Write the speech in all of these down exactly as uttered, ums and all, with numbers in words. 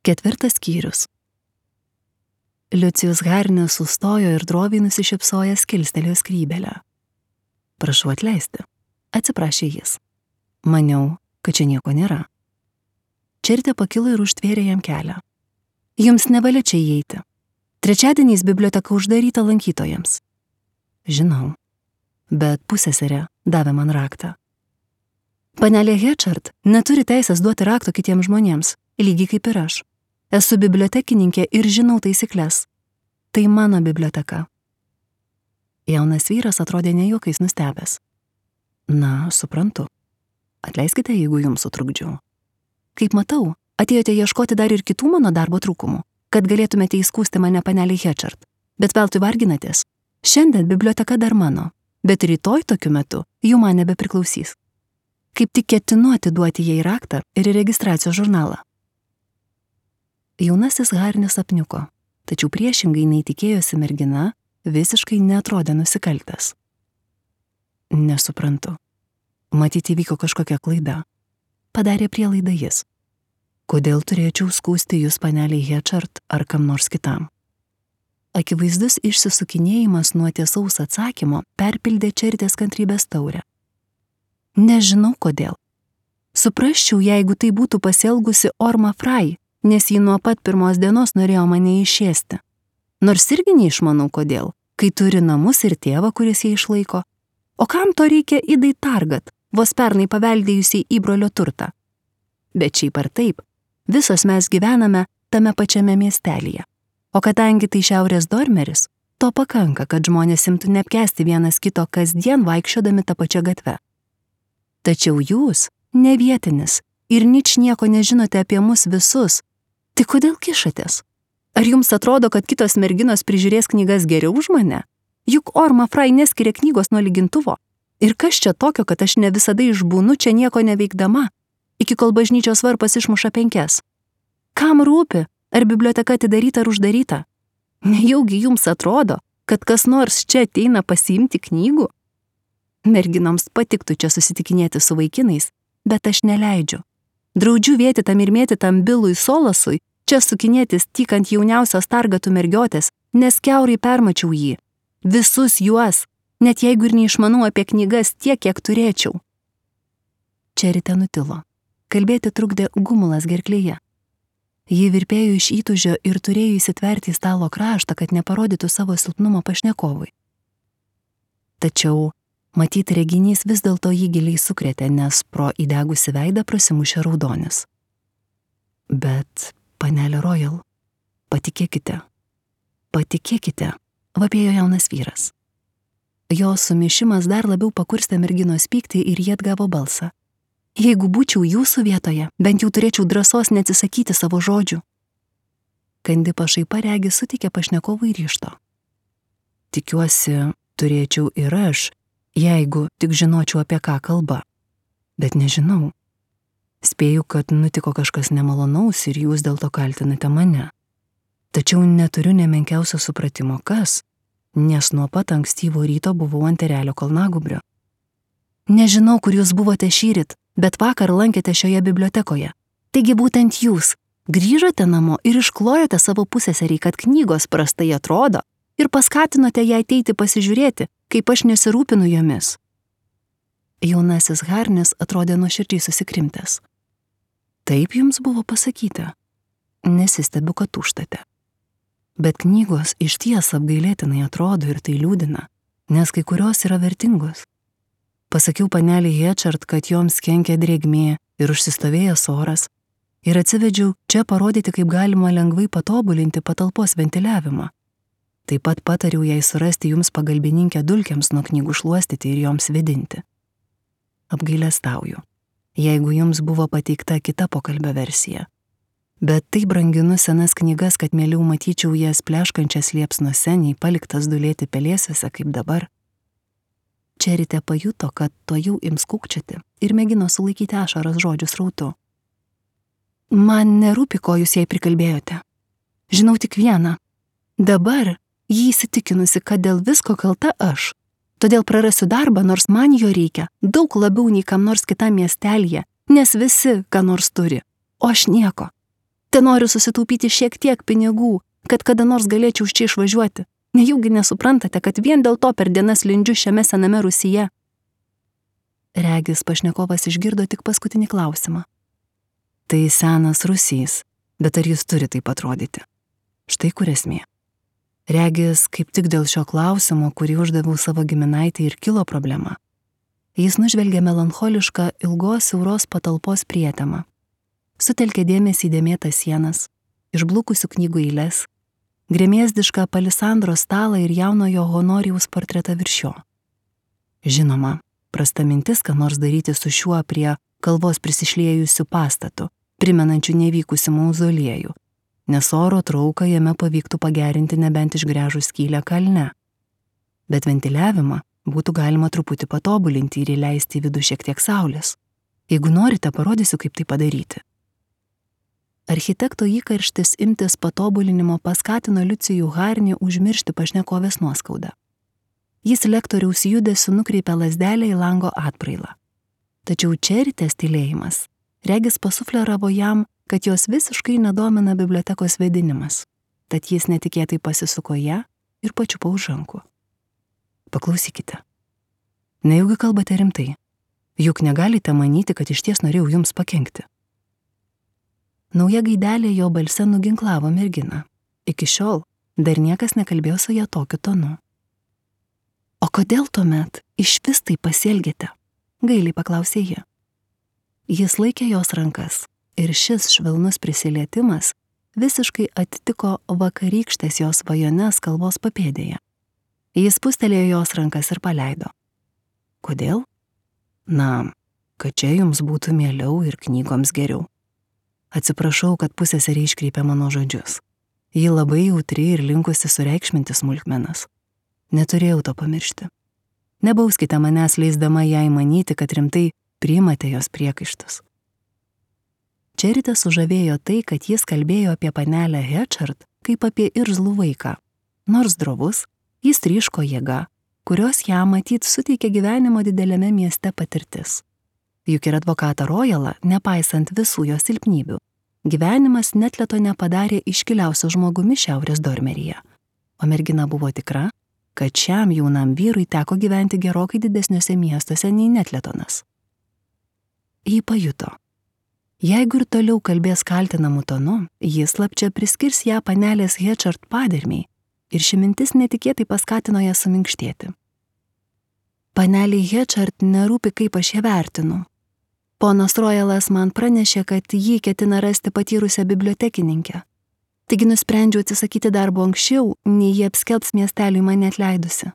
Ketvirtas skyrius. Liucijus Harnis sustojo ir droviai nusišypsojęs kilstelėjo skrybelę. Prašau atleisti, atsiprašė jis. Maniau, kad čia nieko nėra. Čertė pakilo ir užtvėrė jam kelią. Jums nevalia čia įeiti. Trečiadieniais biblioteka uždaryta lankytojams. Žinau, bet pusseserė davė man raktą. Panelė Hečard neturi teisės duoti rakto kitiems žmonėms, lygiai kaip ir aš. Esu bibliotekininkė ir žinau taisyklės. Tai mano biblioteka. Jaunas vyras atrodė ne juokais nustebęs. Na, suprantu. Atleiskite, jeigu jums sutrukdžiau. Kaip matau, atėjote ieškoti dar ir kitų mano darbo trūkumų, kad galėtumėte įskųsti mane panelei Hečard. Bet veltui varginatės. Šiandien biblioteka dar mano, bet rytoj tokiu metu jų man nebepriklausys. Kaip tik ketinu atiduoti jai raktą ir registracijos žurnalą. Jaunasis Harnis apniuko, tačiau priešingai nei tikėjosi mergina, visiškai neatrodė nusikaltęs. Nesuprantu. Matyt, įvyko kažkokia klaida. Padarė prielaidą jis. Kodėl turėčiau skųsti jūs paneliai Hečard ar kam nors kitam? Akivaizdus išsisukinėjimas nuo tiesaus atsakymo perpildė Čertės kantrybės taurę. Nežinau kodėl. Suprasčiau, jeigu tai būtų pasielgusi Orma Fry, nes ji nuo pat pirmos dienos norėjo mane išėsti. Nors irgi neišmanau kodėl, kai turi namus ir tėvą, kuris ją išlaiko. O kam to reikia Idai Targat, vos pernai paveldėjusiai įbrolio turtą? Bet šiaip ar taip, visos mes gyvename tame pačiame miestelyje. O kadangi tai šiaurės Dormeris, to pakanka, kad žmonės imtų neapkęsti vienas kito kasdien vaikščiodami tą pačią gatvę. Tačiau jūs, ne vietinis, ir nič nieko nežinote apie mus visus, tai kodėl kišatės? Ar jums atrodo, kad kitos merginos prižiūrės knygas geriau už mane? Juk Orma Fry neskiria knygos nuo lygintuvo. Ir kas čia tokio, kad aš ne visada išbūnu čia nieko neveikdama, iki kol bažnyčios varpas išmuša penkias? Kam rūpi, ar biblioteka atidaryta ar uždaryta? Nejaugi jums atrodo, kad kas nors čia ateina pasiimti knygų? Merginoms patiktų čia susitikinėti su vaikinais, bet aš neleidžiu. Draudžiu vėtitam ir mėtitam Bilui Solasui čia sukinėtis tik ant jauniausios Targatų mergiotės, nes kiaurai permačiau jį. Visus juos, net jeigu ir neišmanau apie knygas tiek, kiek turėčiau. Čertė nutilo. Kalbėti trukdė gumulas gerklėje. Ji virpėjo iš įtūžio ir turėjo įsitverti į stalo kraštą, kad neparodytų savo silpnumo pašnekovui. Tačiau matyt, reginys vis dėlto jį giliai sukrėtė, nes pro įdegusi veidą prasimušė raudonis. Bet, panelė Royal, patikėkite, patikėkite, vapėjo jaunas vyras. Jo sumišimas dar labiau pakurstė merginos pyktį ir jie atgavo balsą. Jeigu būčiau jūsų vietoje, bent jau turėčiau drąsos neatsisakyti savo žodžių. Kandi pašaipa regi suteikė pašnekovui ryžto. Tikiuosi, turėčiau ir aš, jeigu tik žinočiau, apie ką kalba. Bet nežinau. Spėju, kad nutiko kažkas nemalonaus ir jūs dėl to kaltinate mane. Tačiau neturiu nemenkiausio supratimo, kas, nes nuo pat ankstyvo ryto buvau ant Erelio kalnagūbrio. Nežinau, kur jūs buvote šįryt, bet vakar lankėte šioje bibliotekoje. Taigi būtent jūs grįžote namo ir išklojote savo pusseserį, kad knygos prastai atrodo, ir paskatinote ją ateiti pasižiūrėti, kaip aš nesirūpinu jomis. Jaunasis Harnis atrodė nuoširdžiai susikrimtęs. Taip jums buvo pasakyta. Nesistebiu, kad tūžtate. Bet knygos išties apgailėtinai atrodo ir tai liūdina, nes kai kurios yra vertingos. Pasakiau paneliai Hečard, kad joms kenkia drėgmė ir užsistovėjęs oras, ir atsivedžiau čia parodyti, kaip galima lengvai patobulinti patalpos ventiliavimą. Taip pat patariau jai surasti jums pagalbininkę dulkėms nuo knygų šluostyti ir joms vėdinti. Apgailestauju, jeigu jums buvo pateikta kita pokalbio versija. Bet tai branginu senas knygas, kad mieliau matyčiau jas pleškančias liepsnuose, nei paliktas dulėti pelėsiuose kaip dabar. Čertė pajuto, kad to jau ims kūkčioti ir mėgino sulaikyti ašaras žodžių srautu. Man nerūpi, ko jūs jai prikalbėjote. Žinau tik vieną. Dabar jį įsitikinusi, kad dėl visko kalta aš. Todėl prarasiu darbą, nors man jo reikia, daug labiau nei kam nors kitam miestelyje, nes visi, ką nors turi, o aš nieko. Te noriu susitaupyti šiek tiek pinigų, kad kada nors galėčiau iš čia išvažiuoti. Nejaugi nesuprantate, kad vien dėl to per dienas lindžiu šiame sename rūsyje. Regis pašnekovas išgirdo tik paskutinį klausimą. Tai senas rūsys, bet ar jis turi taip atrodyti? Štai kur esmė. Regis, kaip tik dėl šio klausimo, kurį uždaviau savo giminaitį, ir kilo problema. Jis nužvelgė melancholišką ilgos siauros patalpos prietemą. Sutelkė dėmesį į dėmėtas sienas, išblukusių knygų eiles, gremėzdišką palisandro stalą ir jaunojo Honorijaus portretą virš jo. Žinoma, prasta mintis, ką nors daryti su šiuo prie kalvos prisišliejusiu pastatu, primenančiu nevykusių mauzoliejų, nes oro trauką jame pavyktų pagerinti nebent išgręžus skylę kalne. Bet ventiliavimą būtų galima truputį patobulinti ir įleisti į vidų šiek tiek saulės. Jeigu norite, parodysiu, kaip tai padaryti. Architekto įkarštis imtis patobulinimo paskatino Liucijų Harnį užmiršti pašnekovės nuoskaudą. Jis lektoriaus judesiu nukreipė lazdelę į lango atbrailą. Tačiau Čeritės tylėjimas regis pasufleravo jam, kad jos visiškai nedomina bibliotekos vėdinimas, tad jis netikėtai pasisuko ją ir pačiupo už rankų. Paklausykite. Nejaugi kalbate rimtai, juk negalite manyti, kad išties norėjau jums pakenkti. Nauja gaidelė jo balse nuginklavo merginą. Iki šiol dar niekas nekalbėjo su ją tokiu tonu. O kodėl tuomet iš vis tai pasielgėte? Gailiai paklausė ji. Jis laikė jos rankas ir šis švelnus prisilietimas visiškai atitiko vakarykštės jos svajones kalvos papėdėje. Jis pustelėjo jos rankas ir paleido. Kodėl? Na, kad čia jums būtų mieliau ir knygoms geriau. Atsiprašau, kad pusseserė iškreipė mano žodžius. Ji labai jautri ir linkusi sureikšminti smulkmenas. Neturėjau to pamiršti. Nebauskite manęs leisdama jai manyti, kad rimtai priimate jos priekaištus. Čeritę sužavėjo tai, kad jis kalbėjo apie panelę Hečard kaip apie irzlų vaiką. Nors drovus, jis tryško jėga, kurios jam matyt suteikė gyvenimo dideliame mieste patirtis. Juk ir advokatą Royalą, nepaisant visų jo silpnybių, gyvenimas Netleto nepadarė iškiliausio žmogumi Šiaurės Dormeryje, o mergina buvo tikra, kad šiam jaunam vyrui teko gyventi gerokai didesniuose miestuose nei Netletonas. Ji pajuto. Jeigu ir toliau kalbės kaltinamų tonu, jis slapčia priskirs ją panelės Hečard padermiai ir ši mintis netikėtai paskatino ją suminkštėti. Paneliai Hečard nerūpi, kaip aš ją vertinu. Ponas Royalas man pranešė, kad jį ketina rasti patyrusią bibliotekininkę. Taigi nusprendžiau atsisakyti darbo anksčiau, nei jie apskelbs miesteliui mane atleidusi.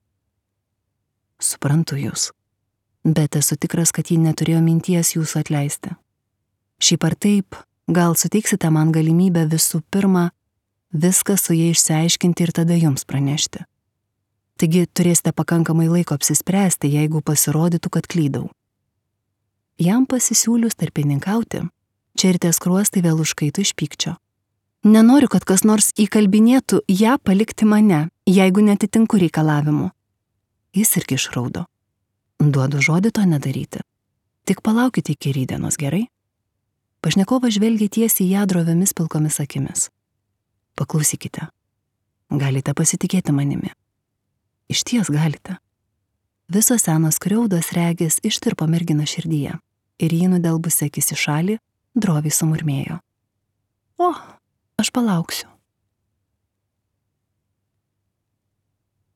Suprantu jūs, bet esu tikras, kad ji neturėjo minties jūsų atleisti. Šiaip ar taip, gal suteiksite man galimybę visų pirma viską su jie išsiaiškinti ir tada jums pranešti. Taigi turėsite pakankamai laiko apsispręsti, jeigu pasirodytų, kad klydau. Jam pasisiūlius tarpininkauti, Čeritės skruostai vėl užkaito iš pykčio. Nenoriu, kad kas nors įkalbinėtų ją palikti mane, jeigu netitinku reikalavimu. Jis irgi išraudo. Duodu žodį to nedaryti. Tik palaukite iki rytdienos, gerai? Pašnekovas žvelgė tiesiai į ją droviomis pilkomis akimis. Paklausykite. Galite pasitikėti manimi. Išties galite. Visos senos skriaudos regis ištirpo mergino širdyje ir jį nudelbusi akis į šalį, droviai sumurmėjo. O, aš palauksiu.